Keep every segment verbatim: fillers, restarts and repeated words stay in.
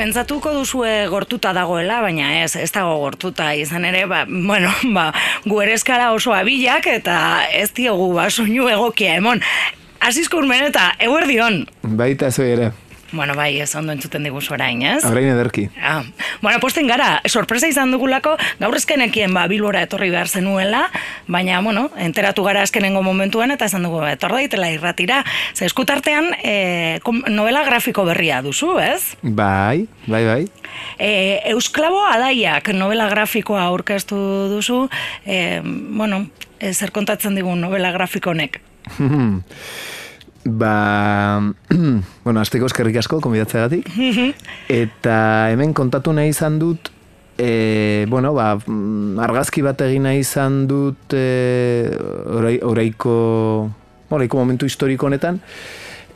pentsatuko duzue gortuta dagoela, baina ez, ez dago gortuta izan ere, ba, bueno, ba, gu ere eskara oso abilak eta ez diogu ba, soinu egokia emon. Azizko urmeneta, eguerdion. Baita zoi ere. Bueno, bai, ez ondo entzuten diguzu orain, ez? Orain ederki. Ah. Bueno, posten gara, sorpresa izan dugulako, gaur ezkenekien ba, Bilbora etorri behar zenuela, baina, bueno, enteratu gara azkenengo momentuan, eta esan dugu, etor daitela irratira. Ze eskutartean, e, novela grafiko berria duzu, ez? Bai, bai, bai. E, Eusklabo Alaiak novela grafikoa aurkeztu duzu, e, bueno, e, zer kontatzen digun novela grafiko honek? Ba, bueno, azteko eskerrik asko, konbidatzeagatik. Eta hemen kontatu nahi izan dut, e, bueno, ba, argazki bat egin nahi izan dut e, orai, oraiko, oraiko momentu historiko honetan,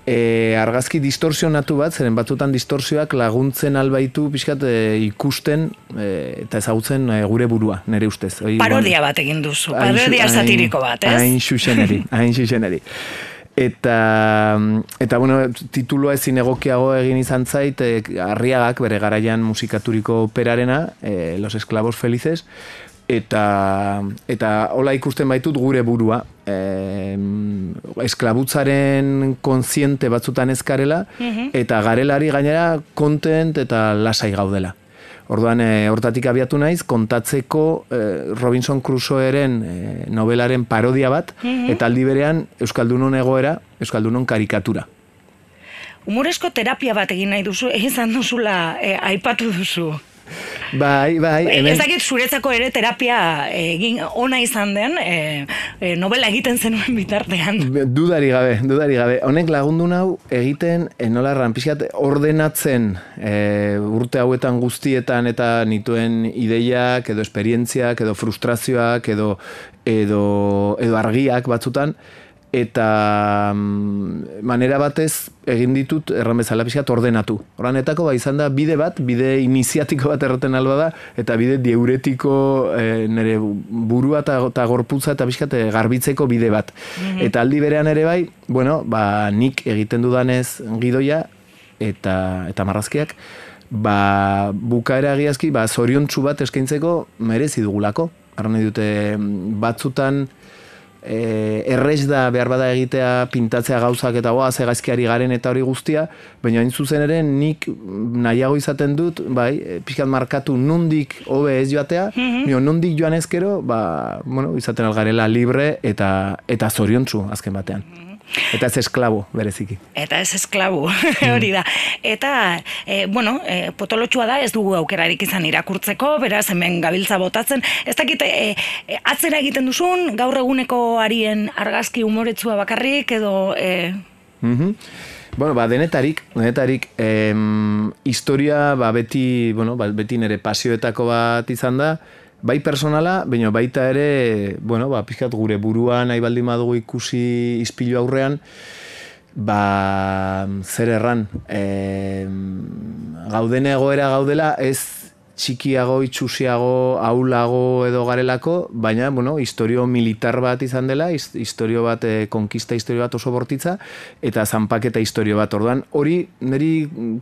e, argazki distorsionatu bat, zeren batzutan distorsioak laguntzen albaitu pixkat e, ikusten e, eta ezagutzen e, gure burua, nire ustez. Oi, parodia bueno, bat egin duzu, parodia satiriko bat, ez? Hain xuxeneri, hain xuxeneri. Eta, eta bueno, tituloa ezin egokiago egin izan zait, e, Arriagak bere garaian musikaturiko operarena, e, Los Esclavos Felices, eta, eta hola ikusten baitut gure burua. E, esklabutzaren kontziente batzutan ezkarela, eta garelari gainera kontent eta lasai gaudela. Orduan, e, hortatik abiatu naiz, kontatzeko e, Robinson Crusoeren e, novelaren parodia bat, mm-hmm. eta aldi berean Euskaldunon egoera, Euskaldunon karikatura. Humorezko terapia bat egin nahi duzu, egin duzula, e, aipatu duzu. Bai, bai. Ez dakit zuretzako ere terapia egin ona izan den, e, e, novela egiten zenuen bitartean. Dudari gabe, dudari gabe. Honek lagundu nau egiten, e, nola pixkat ordenatzen e, urte hauetan guztietan eta nituen ideiak, edo esperientziak, edo frustrazioak, edo, edo, edo argiak batzutan, eta manera batez egin ditut erran bezala pixkat ordenatu. Horrenetako ba izan da bide bat, bide iniziatiko bat erraten alba da, eta bide diuretiko e, nire burua eta gorputza eta pixkat garbitzeko bide bat. Mm-hmm. Eta aldi berean ere bai, bueno, ba, nik egiten dudanez gidoia eta, eta marrazkiak, ba, bukaera egiazki, ba, zoriontsu bat eskaintzeko merezi dugulako. Arra nahi dute batzutan, E, errez da behar bada egitea pintatzea gauzak eta goa ze gaizkiari garen eta hori guztia, baina hain zuzen ere nik nahiago izaten dut, bai, pixkat markatu nondik hobe ez joatea, mm-hmm. nondik joan ezkero, ba, bueno, izaten algarela libre eta, eta zoriontsu azken batean. Eta ez esklabo, bereziki. Eta ez esklabo, hori da. Eta, e, bueno, e, potolotxua da, ez dugu aukerarik izan irakurtzeko, beraz hemen gabiltza botatzen. Ez dakit, e, e, atzera egiten duzun, gaur eguneko arien argazki humoretsua bakarrik, edo... E... Mm-hmm. Bueno, ba, denetarik, denetarik, em, historia, ba, beti, bueno, ba, beti nire pasioetako bat izan da, bai personala, baina baita ere, bueno, ba, pixkat gure buruan nahi baldin badugu ikusi ispilu aurrean, ba, zer erran, e, gauden egoera gaudela, ez txikiago, itxusiago, aulago edo garelako, baina, bueno, historio militar bat izan dela, historio bat, e, konkista historio bat oso bortitza, eta zanpaketa historio bat. Orduan, hori niri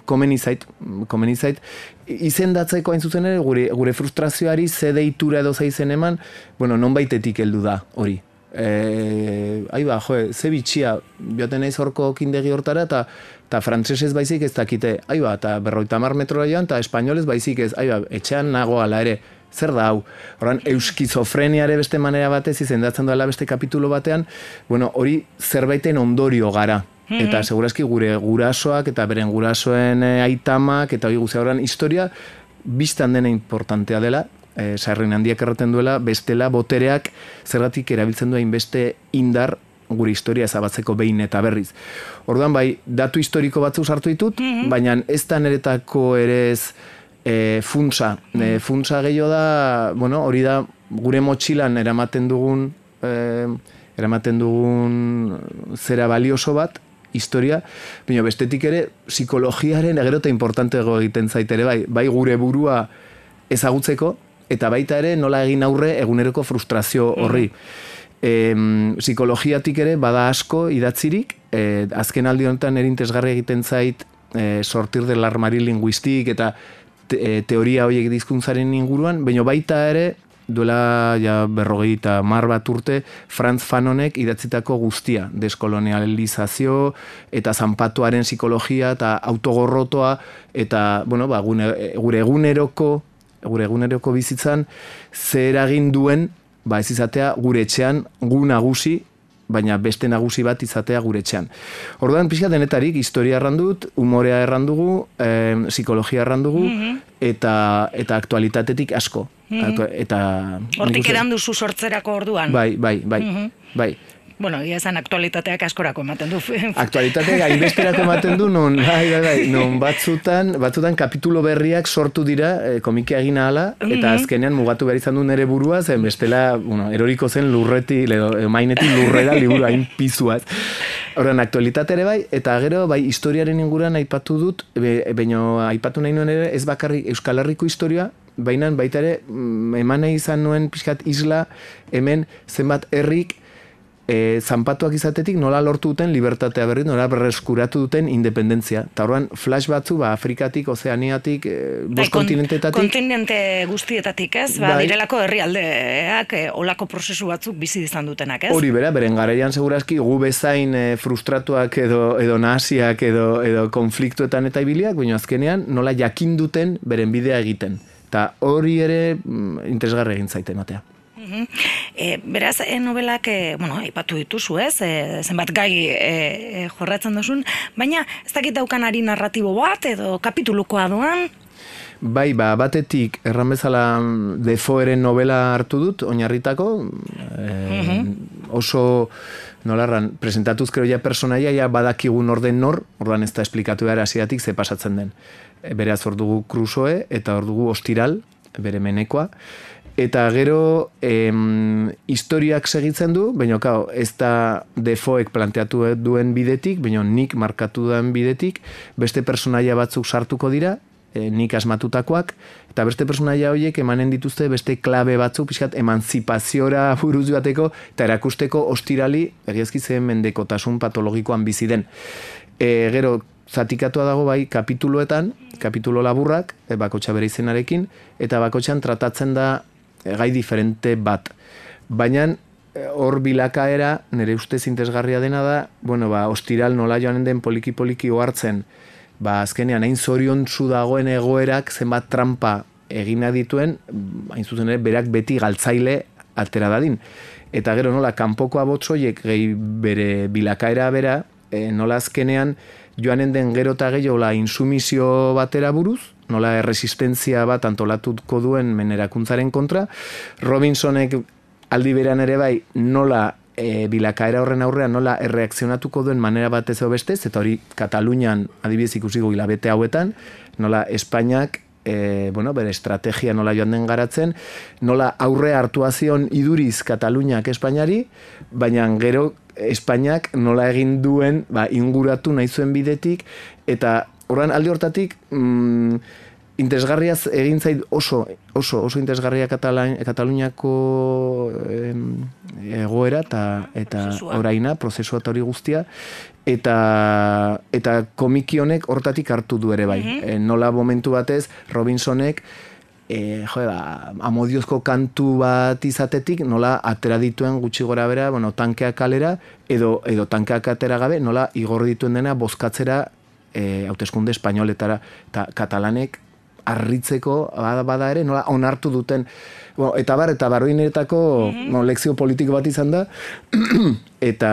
komeni zait, komeni zait, izendatzeko hain zuzen ere, gure, gure frustrazioari ze deitura edo zaizen eman, bueno, non baitetik heldu da hori. E, ai ba, jo, ze bitxia, joaten naiz horko kindegi hortara, eta eta frantsesez baizik ez dakite, ai ba, eta berroita hamar metrora joan, eta espainolez baizik ez, ai ba, etxean nago ala ere, zer da hau? Horren, euskizofreniare beste manera batez izendatzen dela beste kapitulo batean, bueno, hori zerbaiten ondorio gara. Mm-hmm. Eta segurazki gure gurasoak eta beren gurasoen e, aitamak eta hori guztia horren historia biztan dena importantea dela, e, sarrin handiak erraten duela, bestela botereak zergatik erabiltzen duen beste indar gure historia ezabatzeko behin eta berriz. Orduan bai, datu historiko batzu sartu ditut, mm-hmm. baina ez da niretako ere ez e, funtsa. E, funtsa gehiago da, bueno, hori da gure motxilan eramaten dugun, e, eramaten dugun zera balioso bat, historia, baina bestetik ere psikologiaren egerota importantego egiten zaitere, bai, bai gure burua ezagutzeko, eta baita ere nola egin aurre eguneroko frustrazio horri. Mm. E, psikologiatik ere bada asko idatzirik, e, azken aldi honetan erintesgarri egiten zait e, sortir del armari linguistik eta te, e, teoria horiek dizkuntzaren inguruan, baina baita ere, duela ja berrogei eta mar bat urte, Franz Fanonek idatzitako guztia, deskolonializazio eta zanpatuaren psikologia eta autogorrotoa eta, bueno, ba, gune, gure eguneroko, gure eguneroko bizitzan, zer egin duen, ba, ez izatea gure etxean gu nagusi, baina beste nagusi bat izatea gure etxean. Orduan, pixka denetarik, historia errandut, humorea errandugu, eh, psikologia errandugu, mm-hmm. eta, eta aktualitatetik asko. Mm-hmm. Eta hortik edan duzu sortzerako orduan. Bai, bai, bai, mm-hmm. bai. Bueno, ia esan aktualitateak askorako ematen du. Aktualitateak hainbesterako ematen du, non, bai, bai, bai, non batzutan, batzutan kapitulo berriak sortu dira, e, komikia egin ahala, eta mm-hmm. azkenean mugatu behar izan du nere burua, zen bestela, bueno, eroriko zen lurreti, edo mainetik lurrera liburu hain pizuaz. Horren, aktualitate ere bai, eta gero, bai, historiaren inguruan aipatu dut, baina aipatu nahi nuen ere, ez bakarrik Euskal Herriko historia, baina baita ere, eman nahi izan nuen pixkat isla, hemen zenbat herrik, E, zanpatuak izatetik nola lortu duten libertatea berri, nola berreskuratu duten independentzia. Eta horren flash batzu, ba, Afrikatik, Ozeaniatik, e, bost kontinentetatik. Kontinente guztietatik, ez? Ba, bai. Direlako herrialdeak, e, olako prozesu batzuk bizi izan dutenak, ez? Hori bera, beren garaian segurazki gu bezain e, frustratuak edo, edo nahasiak edo, edo konfliktuetan eta ibiliak, baina azkenean nola jakin duten beren bidea egiten. Eta hori ere mm, interesgarri egin zaite ematea. E, beraz, e, novelak, e, bueno, aipatu dituzu, ez? E, zenbat gai e, e, jorratzen duzun, baina ez dakit daukanari narratibo bat edo kapitulukoa doan? Bai, ba, batetik, erran bezala Defoeren novela hartu dut, oinarritako, e, mm-hmm. oso, nolarran, presentatuz kreo ja personaia, ja badakigun orden nor, ordan ez da esplikatu behar hasieratik ze pasatzen den. E, beraz, hor dugu Crusoe, eta hor dugu Ostiral, bere menekoa, eta gero em, historiak segitzen du, baina kao, ez da Defoek planteatu duen bidetik, baina nik markatu duen bidetik, beste personaia batzuk sartuko dira, e, nik asmatutakoak, eta beste personaia horiek emanen dituzte beste klabe batzuk, pixkat emanzipaziora buruz joateko, eta erakusteko Ostirali, egiazki zen mendekotasun patologikoan bizi den. E, gero, zatikatua dago bai kapituluetan, kapitulo laburrak, e, bakotxa bere izenarekin, eta bakotxan tratatzen da gai diferente bat. Baina hor bilakaera, nire ustez interesgarria dena da, bueno, ba, Ostiral nola joanen den poliki-poliki ohartzen, ba, azkenean hain zoriontsu dagoen egoerak zenbat trampa egina dituen, hain zuzen ere, berak beti galtzaile atera dadin. Eta gero nola, kanpoko abotsoiek gehi bere bilakaera bera, e, nola azkenean joanen den gero eta gehiago la insumizio batera buruz, nola erresistentzia bat antolatuko duen menerakuntzaren kontra. Robinsonek aldi berean ere bai nola e, bilakaera horren aurrean nola erreakzionatuko duen manera batez edo bestez, eta hori Katalunian adibidez ikusiko hilabete hauetan, nola Espainiak e, bueno, bere estrategia nola joan den garatzen, nola aurre hartuazion iduriz Kataluniak Espainiari, baina gero Espainiak nola egin duen ba, inguratu nahi zuen bidetik, eta horren alde hortatik mm, interesgarriaz egin zait oso, oso, oso interesgarria Kataluniako eh, egoera eta, eta oraina, prozesua eta hori guztia, eta, eta komiki honek hortatik hartu du ere bai. Mm-hmm. E, nola momentu batez Robinsonek E, jo, ba, amodiozko kantu bat izatetik, nola atera dituen gutxi gora bera, bueno, tankeak kalera, edo, edo tankeak atera gabe, nola igorri dituen dena bozkatzera e, hauteskunde espainoletara, eta katalanek harritzeko bada, bada ere, nola onartu duten, bueno, eta bar, eta barroineretako mm-hmm. no, lekzio politiko bat izan da, eta,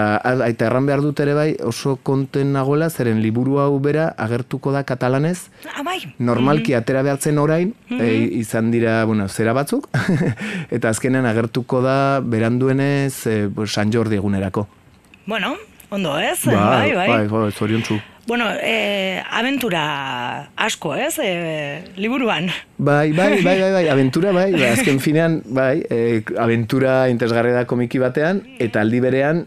eta erran behar dut ere bai, oso konten nagoela, zeren liburu hau bera agertuko da katalanez, ah, bai. Normalki mm-hmm. atera behartzen orain, mm-hmm. e, izan dira, bueno, zera batzuk, eta azkenean agertuko da beranduenez e, San Jordi egunerako. Bueno, ondo ez? Bai, bai, bai. bai, bai, zoriontsu. Bueno, eh, aventura asko, ez? Eh, liburuan. Bai, bai, bai, bai, bai, aventura, bai, bai, azken finean, bai, eh, aventura interesgarri da komiki batean, eta aldi berean,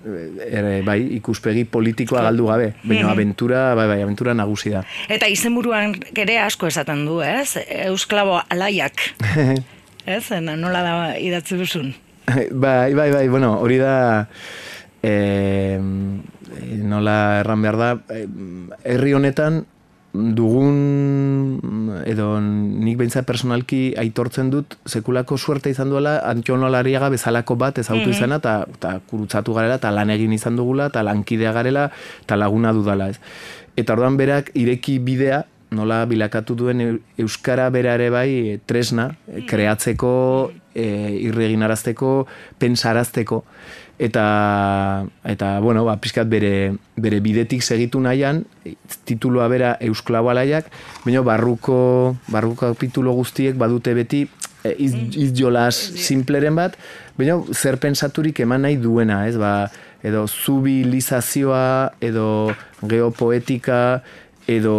eh, bai, ikuspegi politikoa galdu gabe, baina aventura, bai, bai, aventura nagusi da. Eta izenburuan ere asko esaten du, ez? Eusklabo alaiak, ez? Nola da idatzi duzun? Bai, bai, bai, bueno, hori da... Eh, nola erran behar da, herri honetan dugun, edo nik behintzat personalki aitortzen dut, sekulako suerte izan duela, Antxon Olariaga bezalako bat ezautu izana, eta kurutzatu garela, eta lan egin izan dugula, eta lankidea garela, eta laguna dudala, ez. Eta orduan berak ireki bidea, nola bilakatu duen euskara bera ere bai tresna, kreatzeko, e, irreginarazteko, pensarazteko, eta, eta bueno, ba, pixkat bere, bere bidetik segitu nahian, titulua bera Eusklabo Alaiak, baina barruko, barruko kapitulo guztiek badute beti e, iz, izjolas simpleren bat, baina zer pensaturik eman nahi duena, ez, ba, edo zubilizazioa, edo geopoetika, edo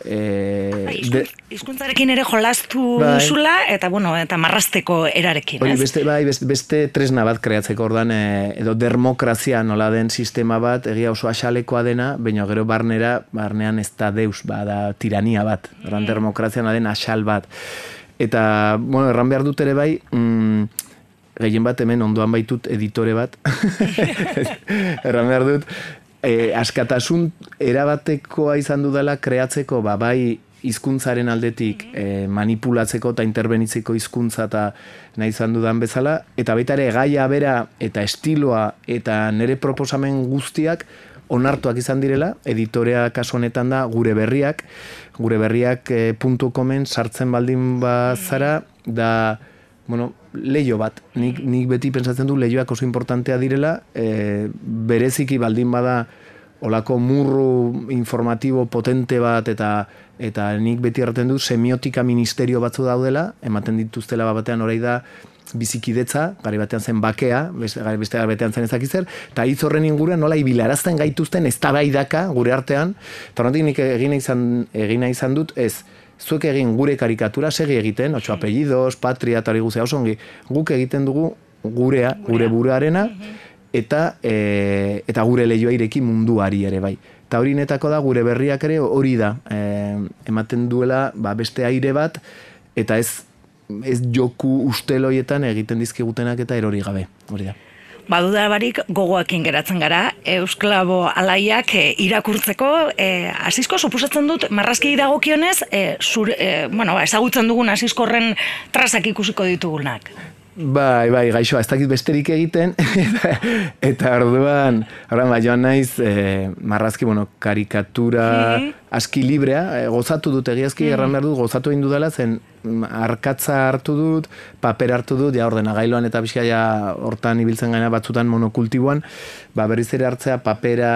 Eh, de, hizkuntzarekin ere jolastu bai, zula eta bueno, eta marrasteko erarekin, ez? Beste, bai, beste, beste tresna bat kreatzeko ordan e, edo demokrazia nola den sistema bat, egia oso axalekoa dena, baina gero barnera, barnean ez da deus, ba, da tirania bat, ordan demokrazia nola den axal bat. Eta, bueno, erran behar dut ere bai, mm, gehien bat hemen ondoan baitut editore bat, erran behar dut, E, askatasun erabatekoa izan dudala kreatzeko, ba, bai hizkuntzaren aldetik e, manipulatzeko eta interbenitzeko hizkuntza eta nahi izan dudan bezala, eta baita ere gaia bera eta estiloa eta nire proposamen guztiak onartuak izan direla, editorea kasu honetan da gure berriak, gure berriak e, puntu komen sartzen baldin bazara, da bueno, leio bat, nik, nik beti pentsatzen du leioak oso importantea direla, e, bereziki baldin bada olako murru informatibo potente bat, eta eta nik beti erraten du semiotika ministerio batzu daudela, ematen dituztela batean orai da bizikidetza, gari batean zen bakea, beste gari batean zen ezakitzer, eta hitz horren inguruan nola ibilarazten gaituzten eztabaidaka gure artean, eta horretik nik egina izan, egina izan dut, ez, zuek egin gure karikatura segi egiten, otxo apellidos, patria, eta hori guzea osongi, guk egiten dugu gurea, gure buruarena, eta, e, eta gure lehioa ireki munduari ere bai. Eta hori netako da, gure berriak ere hori da, e, ematen duela ba, beste aire bat, eta ez, ez joku usteloietan egiten dizkigutenak eta erori gabe, hori da. Baduda barik gogoakin geratzen gara, Eusklabo Alaiak e, irakurtzeko, e, Asisko suposatzen dut, marrazki dagokionez, e, zure, e, bueno, ba, ezagutzen dugun Asiskorren trazak ikusiko ditugunak. Bai, bai, gaixoa, ez dakit besterik egiten, eta, eta orduan, orduan, bai, joan naiz, e, marrazki, bueno, karikatura, mm. aski librea, e, gozatu dut egiazki, mm. erran behar dut, gozatu egin dudala, zen arkatza hartu dut, paper hartu dut, ja ordenagailoan eta pixka ja hortan ibiltzen gaina batzutan monokultiboan, ba, berriz ere hartzea, papera,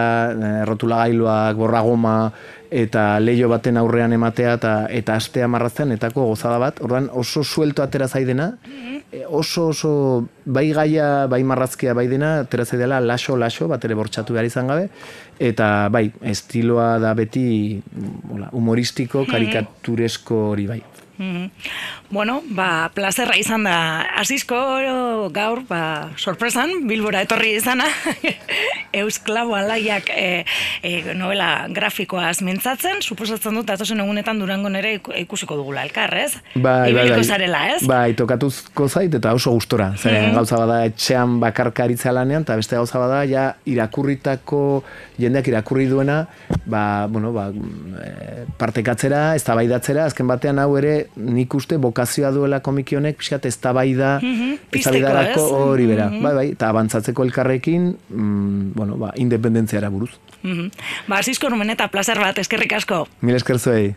errotulagailoak, borragoma, eta leio baten aurrean ematea, eta, eta astea marraztean, etako gozada bat, orduan oso suelto atera zaidena, oso oso bai gaia, bai marrazkia bai dena, atera zaidela laso laso, bat ere bortxatu behar izan gabe, eta bai, estiloa da beti hola, humoristiko, karikaturesko hori bai. Mm-hmm. Bueno, ba, plazerra izan da Asisko gaur, ba, sorpresan, Bilbora etorri izana, Eusklabo Alaiak e, e, novela grafikoaz mintzatzen, suposatzen dut, atosen egunetan Durango nere ikusiko dugula elkar, ez? Bai, bai, bai. Zarela, ez? Bai, tokatuzko zait eta oso gustora. Zeren mm-hmm. gauza bada etxean bakarkaritza lanean, eta beste gauza bada ja irakurritako, jendeak irakurri duena, ba, bueno, ba, partekatzera, eztabaidatzera, azken batean hau ere nik uste bokazioa duela komiki honek, pixkat eztabaida, eztabaidarako hori bera, mm-hmm. bai, bai, eta abantzatzeko elkarrekin, mm, bueno, ba, independentziara buruz. Mm-hmm. Ba, Asisko numen eta plazer bat, eskerrik asko. Mil esker zuei.